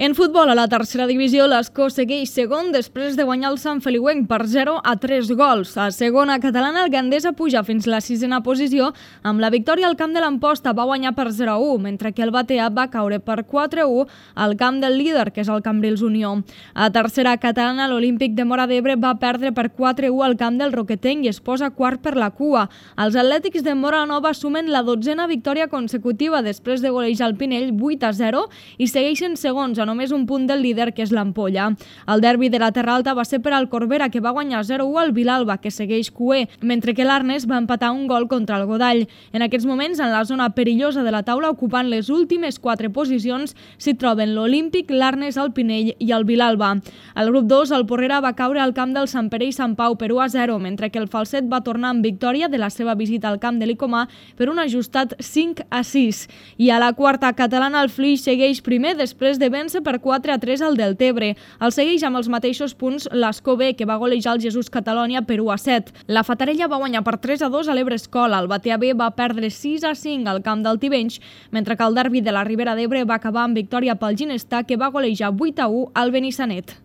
En futbol, a la tercera divisió, l'Escó segueix segon després de guanyar el Sant Feliuenc per 0-3 gols. A segona catalana, el Gandesa puja fins la sisena posició. Amb la victòria al camp de l'Amposta va guanyar per 0-1, mentre que el Batea va caure per 4-1 al camp del líder, que és el Cambrils Unió. A tercera catalana, l'Olímpic de Móra d'Ebre va perdre per 4-1 al camp del Roquetenc i es posa quart per la cua. Els atlètics de Móra Nova sumen la 12a victòria consecutiva després de golejar el Pinell 8-0 i segueixen segons a només un punt del líder, que és l'Ampolla. El derbi de la Terra Alta va ser per al Corbera, que va guanyar 0-1 al Vilalba, que segueix cuer, mentre que l'Arnes va empatar un gol contra el Godall. En aquests moments, en la zona perillosa de la taula, ocupant les últimes 4 posicions, s'hi troben l'Olímpic, l'Arnes, el Pinell i el Vilalba. Al grup 2, el Porrera va caure al camp del Sant Pere i Sant Pau per 1-0, mentre que el Falset va tornar amb victòria de la seva visita al camp de l'Icomà per un ajustat 5-6. I a la quarta catalana, el Flix segueix primer després de vèncer per 4-3 al Deltebre. El segueix amb els mateixos punts l'Escó B, que va golejar el Jesús Catalònia per 1-7. La Fatarella va guanyar per 3-2 a l'Ebre Escola. El Batea B va perdre 6-5 al camp del Tivenys, mentre que el derbi de la Ribera d'Ebre va acabar amb victòria pel Ginestar, que va golejar 8-1 al Benissanet.